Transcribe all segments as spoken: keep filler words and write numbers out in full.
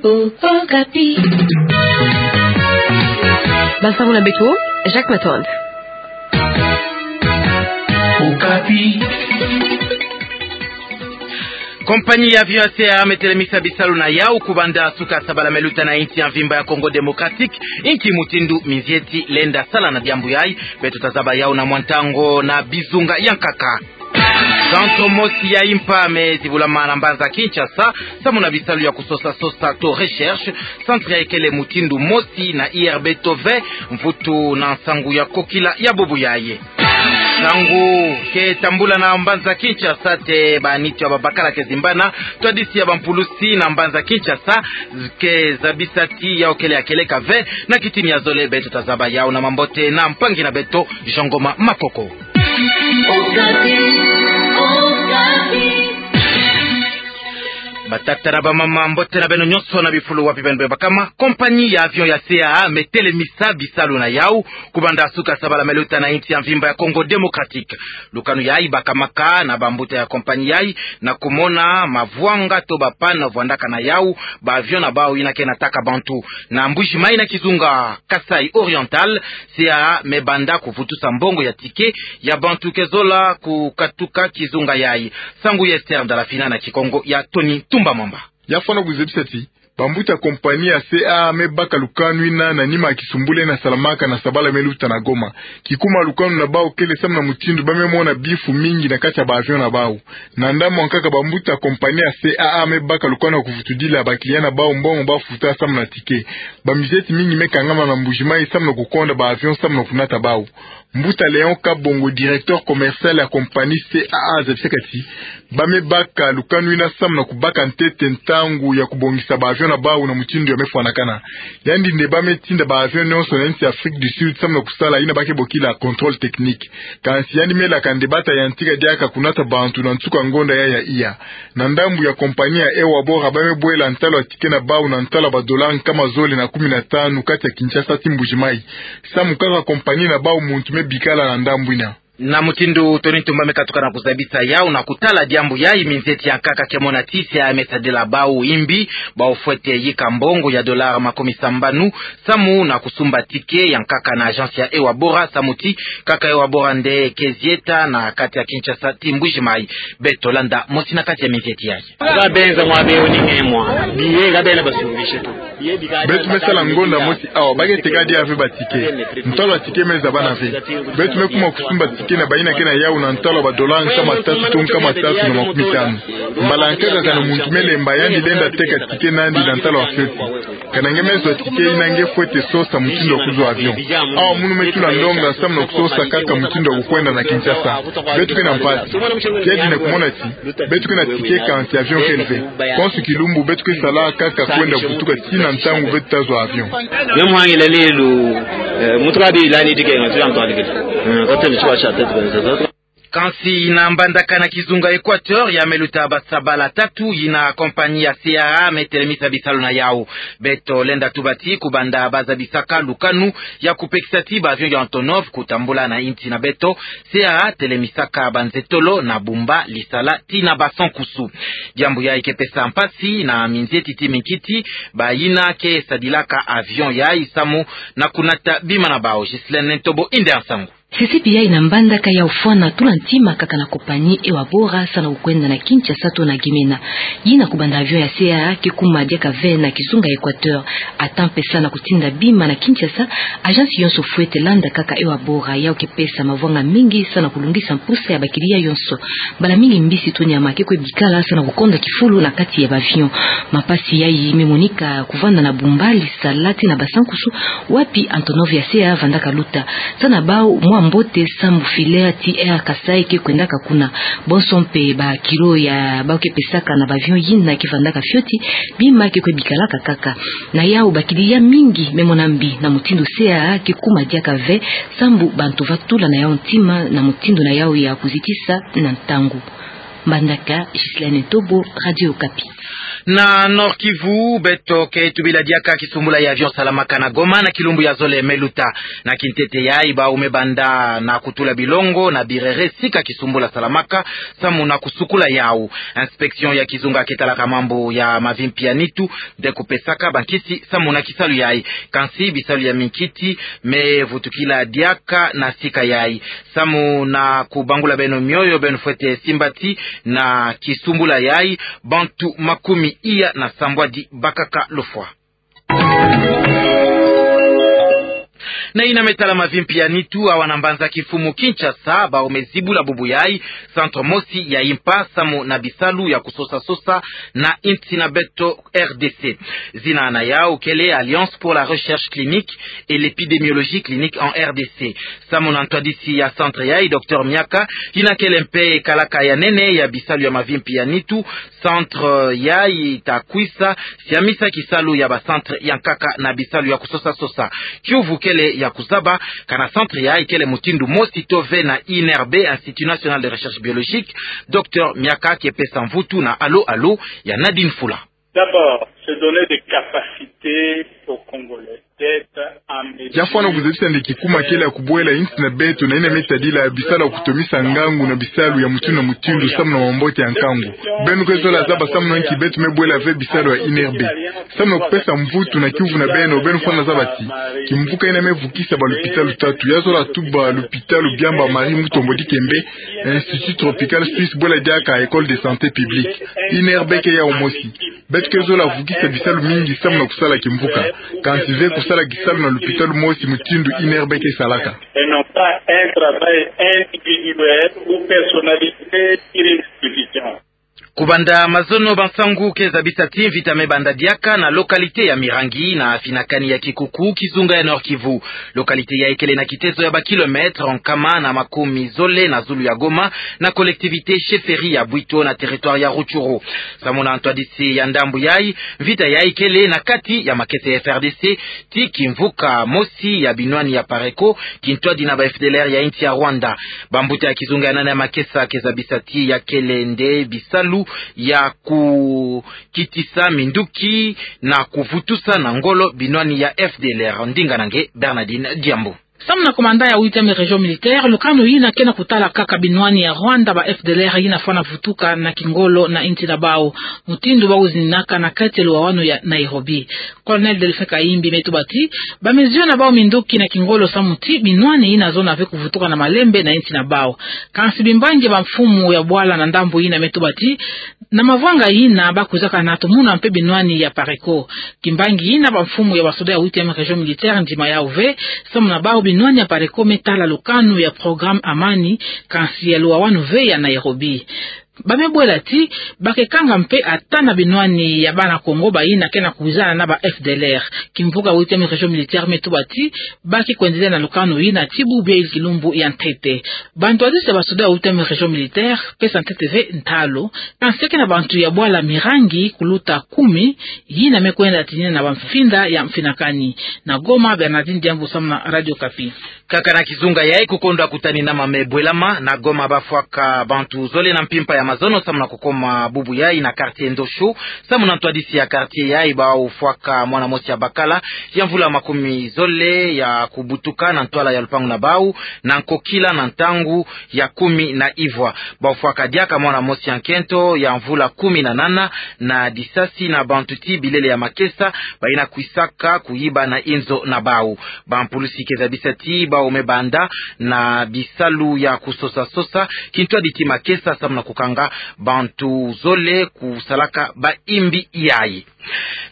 Okapi. Bansango na beto, Jacques Matonde. Okapi. Compagnie ya avion ya C A A me telemisa bisalu na yau kubanda suka sabala me luta na insi ya mvimba ya Congo Démocratique, inki mutindu minzieti lenda sala na diambu yayi? Beto tazaba yau na mwa ntangu na bizunga ya nkaka. Kanso mosi ya impa me zibulama na mbanza Kinshasa, samu na bisalu ya kusosa-sosa to recherche, centre yayi kele mutindu mosi na I R B to ve, mvutu na nsangu ya kokila ya bubu yayi. Nsangu ke tambula na mbanza Kinshasa ti baniti ya babakala ke zimbana, twadisi ya bampulusi na mbanza Kinshasa ke zabisa ti yau kele ya kieleka ve, na kitini ya zole beto tazaba yau na mambote na mpangi na beto, Jean Ngoma Makoko. Okapi, Okapi. Batata na bamama, mbote na beno nyonso na bifulu wapi beno bebakama. Compagnie ya avion ya C A A me telemisa bisalu na yau kubanda suka sabala me luta na insi ya mvimba ya Congo Démocratique. Lukanu yayi bakamaka na bambuta ya compagnie yayi na kumona mavwanga to ba panne vwandaka na yau ba avion na bau yina ke nataka bantu. Na Mbuji-Mayi na kizunga Kasaï Oriental, C A A me banda kuvutusa mbongo ya ticket ya bantu ke zola kukatuka kizunga yayi. Nsangu ya Esther Ndalafina na Kikongo ya Tony Tumba Mwamba. Ya fwana kuzebisa ti bambuta compagnie ya C A A me baka lukanu yina na nima ya kisumbulu yina salamaka na sabala me luta na Goma. Kikuma lukanu na bau kele samu na mutindu ba me mona bifu mingi na kati ya ba avion na bau. Na ndambu ya nkaka, bambuta compagnie ya C A A me baka lukanu ya kuvutudila ba client na bau mbongo ba futa samu na ticket. Bamizieti mingi me kangama na Mbuji-Mayi samu na kukonda ba avion samu na kunata bau. Mbuta Léon Kabongo, directeur commercial ya compagnie C A A, azabisaka ti ba me baka lukanu yina samu na kubaka ntete ntangu ya kubongisa ba avion na bau na mutindu ya me fwanakana. Yandi nde ba me tinda ba avion nyonso na insi ya Afrique du Sud samu na kusala yina ba ke bokila contrôle technique. Kansi yandi me laka nde bata yantika diaka kunata bantu na nsuka ngonda yayi ya iya. Na ndambu ya compagnie ya Ewabora, ba me bwela ntalu ya ticket na bau na ntalu ya ba dollars nkama zole na kumi na tanu kati ya Kinshasa ti Mbuji-Mayi. Samu kaka compagnie na bau muntu me bikala na ndambu yina. Na mutindu Tony Tumba me katuka na kuzabisa yau na kutala diambu yayi, minzieti ya nkaka ke mona ti C A A me sadila bau yimbi, bau fwete yika mbongo ya dollars makumi sambanu samu na kusumba ticket ya nkaka na agence ya Ewabora, samu ti kaka Ewabora nde ke zieta na kati ya Kinshasa ti Mbuji-Mayi. Beto landa mosi na kati ya minzieti yayi. Ka benza mwa be oni nge mwa. Biye ka bena basumbishe tu. Beto me sala ngonda mosi awa, ba ke teka diaka ve ba ticket. Ntalu ya ticket me zabana ve. Beto me kuma kusumba ticket na bayina ke na yau na ntalu ya ba dollars nkama tatu to nkama tatu na makumi tanu. Mbala ya nkaka kana muntu me lemba, yandi lenda teka ticket na yandi na ntalu ya fioti. Kana nge me zwa ticket yina, nge fwete sosa mutindu ya kuzwa avion. Awa munu me tula ndonga samu na kusosa kaka mutindu ya kukwenda na Kinshasa. Beto ke na mpasi. Kiadi na kumona ti beto ke na ticket kansi avion kele ve. Konso kilumbu beto ke sala kaka kwenda kutuka tii na ntangu beto ta zwa avion. Meme hangila lelo, eh, muntu ka bilani dike nga tuya ntwali kete. Eh, katene chwa cha tete. Kansi na mbandaka na kizunga Équateur, ya me luta ba sabala tatu yina compagnie ya C A A me telemisa bisalu na yau. Beto lenda tuba ti kubanda ba zabisaka lukanu ya kupekisa ti ba avion ya Antonov kutambula na insi na beto, C A A telemisaka banzetolo na bumba lisala tii na ba sankusu. Diambu yayi ke pesa mpasi na minzieti ti minkiti, bayina ke sadilaka avion yayi samu na kunata bima na bau. Ghislaine Ntobo yinda nsangu. Sisipi yayi na mbandaka ya ufwana tula ntima kaka na compagnie Ewabora samu na kukwenda na Kinshasa to na Gemena. Yina kubanda avion ya C A A ke kuma diaka ve na kizunga Équateur. Ata mpesa na kutinda bima na Kinshasa, agence yonso fwete landa kaka Ewabora, yau ke pesa mavwanga mingi samu na kulungisa mpusa ya ba client yonso. Mbala mingi mbisi to nyama ke kwe bikala samu na kukonda kifulu na kati ya ba avion. Mampasi yayi me monika kuvanda na bumba lisala tii na ba sankusu, wapi Antonov ya C A A vandaka luta. Samu na bau mwa mbote samu filaire ti Air Kasaï ke kwendaka kuna. Bonso mpe ba kilo ya bau ke pesaka na ba avion yina ke vandaka fioti, bima ke kwe bikalaka kaka. Na yau ba client mingi me mona mbi na mutindu C A A ke kuma diaka ve, samu bantu va tula na yau ntima na mutindu na yau ya kuzitisa na ntangu. Mbandaka, Ghislaine Ntobo, Radio Okapi. Na Nord-Kivu, beto ke tubila diaka kisumbula ya avion salamaka na Goma na kilumbu ya zole me luta. Na kintete yayi bau me banda na kutula bilongo na birere sika kisumbula salamaka samu na kusukula yau. Inspection ya kizunga ke talaka mambu ya mavimpi ya nitu nde kupesaka bankisi samu na kisalu yayi. Kansi bisalu ya minkiti me vutukila diaka na sika yayi. Samu na kubangula beno mioyo, beno fwete simbati na kisumbula yayi, bantu makumi iya na sambwadi bakaka lufwa. Na yina me tala mavimpi ya nitu, awa na mbanza kimfumu Kinshasa, bau me zibula bubu yayi centre mosi ya impa samu na bisalu ya kusosa-sosa na insi na beto R D C. Zina na yau kele Alliance pour la Recherche Clinique et l'Épidémiologie Clinique en R D C. Samu na ntwadisi ya centre yayi, Docteur Miaka, yina kele mpe kalaka ya nene ya bisalu ya mavimpi ya nitu, centre yayi ta kwisa siamisa kisalu ya ba centre ya nkaka na bisalu ya kusosa-sosa. Kiuvu kele ya kuzaba kana centre yayi kele mutindu mosi to ve na I N R B, Institut National de Recherche Biologique. Docteur Miaka ke pesa mvutu na Allô Allô ya Nadine Fula. D'abord, se donner des capacités aux Congolais d'être en mesure. Yafwana kuzabisa nde kikuma kele ya kubwela insi na beto na yina me tadila bisalu ya kutomisa ngangu na bisalu ya mutindu na mutindu samu na mambote ya nkangu. Beno ke zola zaba samu na nki beto me bwela ve bisalu ya I N R B. Samu na kupesa mvutu na kiuvu na beno, beno fwana zaba ti kimvuka yina me vukisa ba lupitalu tatu, ya zola tuba lupitalu Biamba Marie Mutombo Dikembe, Institut Tropical Suisse, bwela diaka École de Santé Publique. I N R B ke yau mosi. Beto ke zola vukisa bisalu mingi samu na kusala kimvuka. Kansi ve kusala kisalu na lupitalu mosi mutindu I N R B ke salaka. Et non pas un travail individuel ou personnalisé sur une institution. Kubanda mazono, bansangu ke zabisa ti mvita me banda diaka na localité ya Mirangi na finakani ya Kikuku, kizunga ya Nord-Kivu. Localité yayi kele na kitezo ya ba kilomètres nkama na makumi zole na zulu ya Goma, na collectivité chefferie ya Bwito na territoire ya Rutshuru. Samu na ntwadisi ya ndambu yayi, mvita yayi kele na kati ya makesa ya F R D C ti kimvuka mosi ya binwani ya Pareco, kintwadi na ba F D L R ya insi ya Rwanda. Bambuta ya kizunga ya nana ya makesa ke zabisa ti ya kele nde bisalu ya kukitisa minduki na kuvutusa na ngolo binwani ya F D L R. Ndinga na nge Bernardine Diambu. Samu na commandant ya huitième région militaire, lukanu yina ke na kutala kaka binwani ya Rwanda, ba F D L R yina fwana vutuka na kingolo na insi na bau, mutindu bau zininaka na kati ya luwawanu ya Nairobi. Colonel Delphin Kayimbi me tuba ti ba mesure na bau minduki na kingolo samu ti binwani yina zona ve kuvutuka na malembe na insi na bau. Kansi bimbangi ya bamfumu ya bwala na ndambu yina me tuba ti na mavanga yina ba kwizaka na tumuna mpe binwani ya Pareco. Kimbangi yina, bamfumu ya basoda ya huitième région militaire ndima yau ve, samu na bau binwani ya Pareco me tala lukanu ya programme Amani, kansi ya luwawanu ve ya Nairobi. Ba me bwela ti ba ke kanga mpe ata na binwani ya bana Kongo bayina ke na kuwizana na ba F D L R. Kimvuka huitième région militaire me tuba ti ba ke kwendelea na lukanu yina ti bubu ya yili kilumbu ya ntete. Bantwadisi ya basoda ya huitième région militaire pesa ntete ve ntalu, kansi ke na bantu ya bwala Mirangi kuluta kumi yina me kwenda tinina na bamfinda ya mfinakani. Na Goma, Bernardine Diambu samu na Radio Okapi. Kaka na kizunga yayi, kukondwa kutani na ma me bwelama na Goma, ba fwaka bantu zole na mpimpa ya mazono samu na kukoma bubu yayi na quartier Ndosho, samu na ntwadisi ya quartier yayi bau fwaka mwana mosi ya bakala ya mvula makumi zole ya kubutuka na ntwala ya lupangu na bau na nkokila na ntangu ya kumi na ivwa. Bau fwaka diaka mwana mosi ya nkento ya mvula kumi na nana na disasi na bantu ti bilele ya makesa bayina kwisaka kuyiba na inzo na bau. Bampulusi ke zabisa ti bau me banda na bisalu ya kusosa-sosa kintwadi ti makesa samu na kukanga bantu zole kusalaka bayimbi yayi.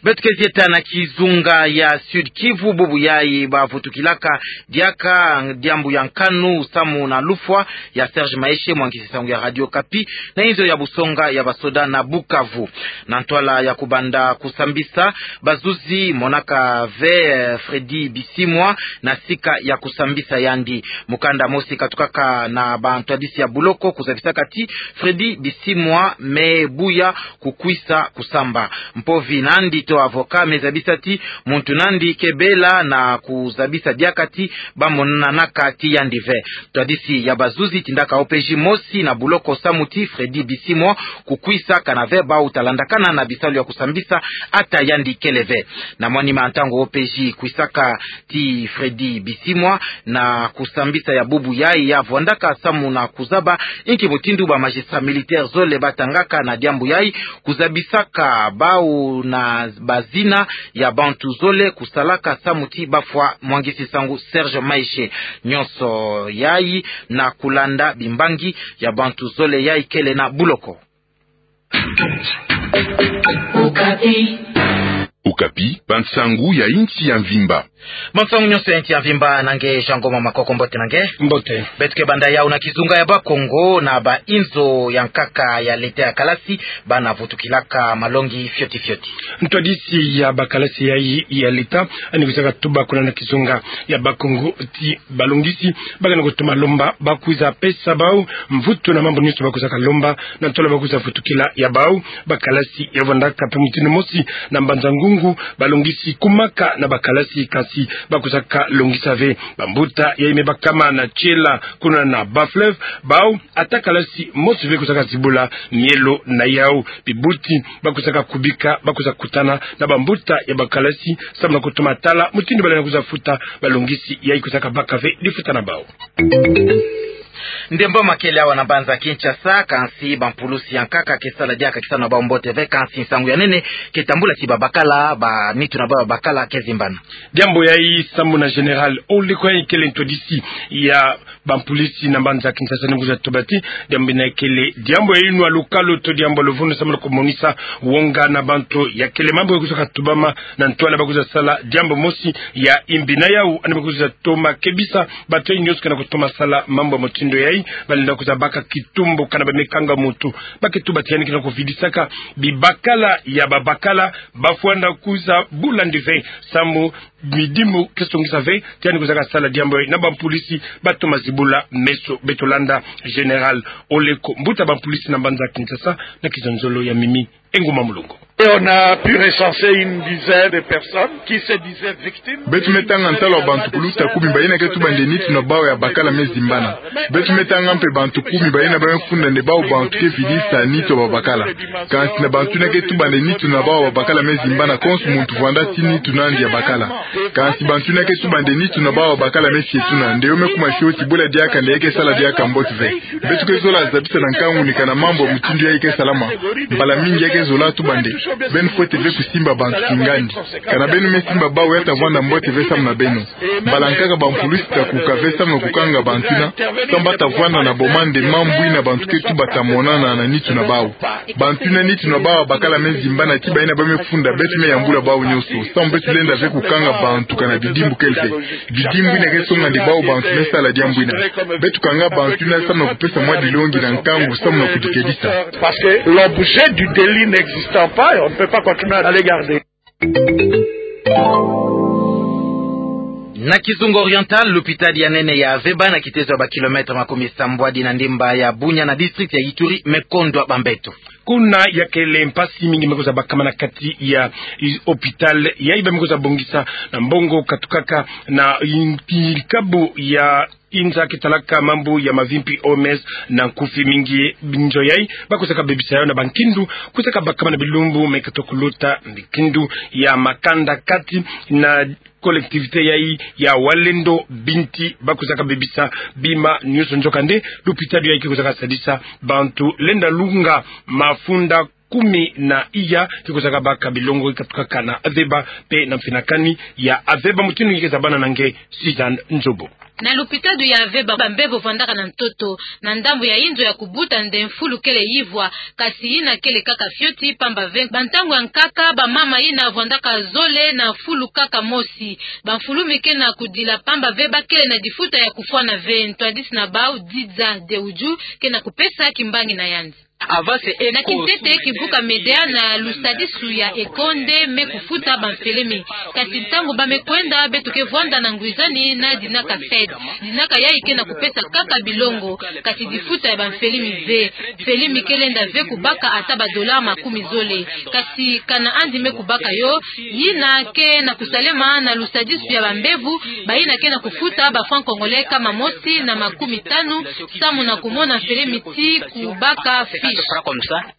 Beto ke zieta na kizunga ya Sud-Kivu, bubu yayi ba vutukilaka diaka diambu ya nkanu samu na lufwa ya Serge Maeshe, mwangisi sangu ya Radio Okapi, na inzo ya busonga ya basoda na Bukavu. Na ntwala ya kubanda kusambisa, bazuzi monaka ve Freddy Bisimwa na sika ya kusambisa yandi. Mukanda mosi katukaka na bantwadisi ya buloko kuzabisaka ti Freddy Bisimwa me buya kukwisa kusamba. Mpovi nandi Avocat me zabisa ti muntu nandi ke bela na kuzabisa diaka ti bamonanaka ti yandi ve. Ntwadisi ya bazuzi tindaka O P J mosi na buloko samu ti Freddy Bisimwa kukwisaka na ve bau talandakana na bisalu ya kusambisa ata yandi kele ve. Na mwanima ntangu O P J kwisaka ti Freddy Bisimwa na kusambisa ya bubu yai ya vwandaka samu na kuzaba inki mutindu ba magistrat militaire zole batangaka na diambu yai, kuzabisaka bau na bazina ya bantu zole kusalaka samu ti bafwa mwangisi nsangu Serge Maeshe. Nyonso yai na kulanda bimbangi ya bantu zole yai kele na buloko. Okapi. Okapi, bansangu ya insi ya mvimba. Bansangu nyonso ya insi ya mvimba na nge Jean Ngoma Makoko, mbote na nge. Mbote. Beto ke banda yau na kizunga ya Bakongo na ba inzo ya nkaka ya leta ya kalasi, bana vutukilaka malongi fioti fioti. Ntwadisi ya bakalasi yai ya leta, yandi kwizaka tuba kuna na kizunga ya Bakongo ti balongisi bakana kutoma lomba bakwiza pesa bau mvutu na mambu nyonso bakwizaka lomba na ntwala bakwiza vutukila ya bau. Bakalasi ya vwandaka mpe mutindu mosi na Mbanza-Ngungu, balongisi kumaka na bakalasi, kansi bakwizaka longisa ve bambuta yai me bakama na tiela kuna na Bas-Fleuve, bau ata kalasi mosi ve kwizaka zibula mielo na yau. Bibuti bakwizaka kubika bakwiza kutana na bambuta ya bakalasi samu na kutoma tala mutindu balenda kwiza futa balongisi yai kwizaka baka ve difuta na bau. Ndembo makele awa na mbanza Kinshasa, kansi bampulusi ya nkaka ke sala diaka kisano na bau mbote ve, kansi nsangu ya nene ke tambula ti babakala, ba nitu na bau ya babakala ke zimbana. Diambu yai samu na Général Oleko, yai kele ntwadisi ya bampulusi na mbanza Kinshasa, yandi kwizatu tuba ti diambu yina kele diambu ya inwa lukalo to diambu ya luvunu samu na kumonisa wonga na bantu. Ya kele mambu ya kwizaka tubama na ntwala bakwiza sala diambu mosi ya imbi. Na yau yandi bakwiza toma kebisa bantu yai nyonso ke na kutoma sala mambu ya mutindu yai, balenda kwiza baka kitumbu kana ba me kanga muntu. Ba ke tuba ti yandi ke na kuvidisaka bibakala ya babakala, bafwanda kwiza bula yandi ve samu midimu ke songisa ve ti yandi kwizaka sala diambu yai na bampulusi batoma zibula meso. Beto landa Général Oleko, mbuta bampulusi na mbanza Kinshasa, na kizonzolo ya Mimi Ngoma Mulongo. Et on a pu recenser une dizaine de personnes qui se disaient victimes. Beto me tanga ntalu ya bantu kuluta kumi bayina ke tuba nde nitu na bau ya babakala me zimbana. Beto me tanga mpe bantu kumi bayina ba me funda nde bau bantu ke vidisa nitu ya babakala. Kansi na bantu yina ke tuba nde nitu na bau ya babakala me zimbana, konso muntu vwanda ti nitu nandi ya bakala. Kansi bantu yina ke tuba nde nitu na bau ya babakala me sietuna, nde yo me kuma fioti, bula diaka nde yai ke sala diaka mbote ve. Beto ke zola zabisa na nkangu ni kana mambu ya mutindu yai ke salama. Mbala mingi yai ke zola tuba nde beno fwete ve kusimba bantu kingandi. Kana beno me simba bau, ya ta vwanda mbote ve samu na beno. Mbala nkaka bampulusi ta kuka ve samu na kukanga bantu yina, samu ba ta vwanda na boma nde mambu yina bantu ke tuba ta monana na nitu na bau. Bantu yina nitu na bau ya babakala me zimbana ti bayina ba me funda, beto me yambula bau nyonso samu beto lenda ve kukanga bantu kana bidimbu kele ve. Bidimbu yina ke songa nde bau bantu me sala diambu yina. Beto kanga bantu yina samu na kupesa mwa dilongi na nkangu samu na kudikedisa. Parce que l'objet du délit n'existant pas, on ne peut pas continuer à les garder. Na Kizunga Oriental, lupitadi ya nene ya Aveba, na kitezo ya ba kilomètre makumi sambwadi na ndimba ya Bunia na district ya Ituri, me kondwa bambeto. Kuna ya kele mpasi mingi me kwiza bakama na kati ya i-, hôpital yai ba me kwiza bongisa na mbongo katukaka na i-, likabu ya inzo ke talaka mambu ya mavimpi, O M S na nkufi mingi. Binzo yai ba kwizaka bebisa yau na bankindu kwizaka bakama na bilumbu me katokulota, nkindu ya makanda kati na collectivité yai ya Walendu Binti ba kwizaka bebisa bima nyonso. Nzokande lupitadi yai ke kwizaka sadisa bantu lenda lunga mafunda kumi na iya, ke kwizaka baka bilongo katukaka na Aveba mpe na mfinakani ya Aveba. Mutindu yai ke zabana na nge Suzanne Nzobo. Na lupitadi ya Aveba, bambebo vwandaka na ntoto na ndambu ya inzo ya kubuta nde mfulu kele yivwa, kasi yina kele kaka fioti, pamba ve bantangu ya nkaka, bamama yina vwandaka zole na mfulu kaka mosi. Bamfulumi ke na kudila pamba ve ba kele na difuta ya kufwana ve. Ntwadisi na bau Diza Deuju ke na kupesa kimbangi na yandi. Na kintete, kivuka Médéa na lusadisu ya eko nde me kufuta bamfelemi. Kasi ntangu ba me kwenda, beto ke vwanda na ngwizani na dinaka fête. Dinaka yayi ke na kupesa kaka bilongo, kasi difuta ya bamfelemi ve. Mfelemi ke lenda ve kubaka ata ba dollars makumi zole. Kasi kana andi me kubaka yo, yina ke na kusalema na lusadisu ya bambevo, bayina ke na kufuta ba francs congolais nkama mosi na makumi tanu, samu na kumona mfelemi ti kubaka fiche.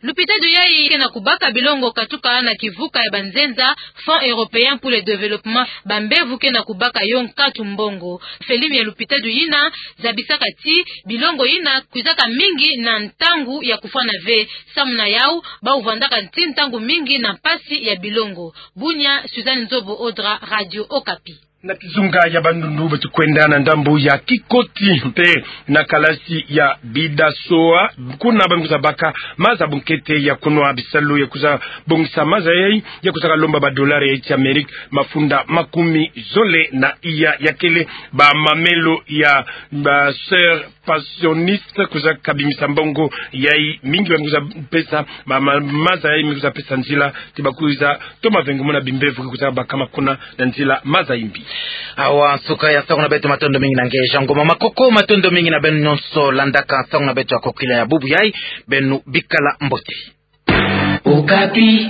Lupitadi yayi ke na kubaka bilongo katuka na kivuka ya banzenza, Fonds européen pour le développement, bambevo ke na kubaka yo nkatu mbongo. Mfelemi ya lupitadi yina zabisaka ti bilongo yina kwizaka mingi na ntangu ya kufwana ve. Samu na yawu, bawu vwandaka ti ntangu mingi na mpasi ya bilongo. Bunia, Suzanne Nzobo Odra, Radio Okapi. Na kizunga ya Bandundu beto kwenda na ndambu ya Kikoti mpe na kalasi ya Bidasoa. Kuna ba me kwiza baka maza bunkete ya kunwa, bisalu ya kwiza bongisa maza yayi, ya kwiza kalomba ba dollars ya Haïti Amérique mafunda makumi zole na iya. Ya kele ba mamelo ya ba Sœurs Passionistes kwiza kabimisa mbongo yayi mingi, ba me kwiza pesa ma, ma, maza yayi me kwiza pesa nzila ti ba kwiza toma vengo mona bimbevo ke kwiza bakama kuna na nzila maza imbi. Awa nsuka ya nsangu na beto, matondo mingi na nge Jean Ngoma Makoko, matondo mingi na beno nyonso landaka nsangu na beto ya kokila ya bubu yayi, beno bikala mbote. Okapi.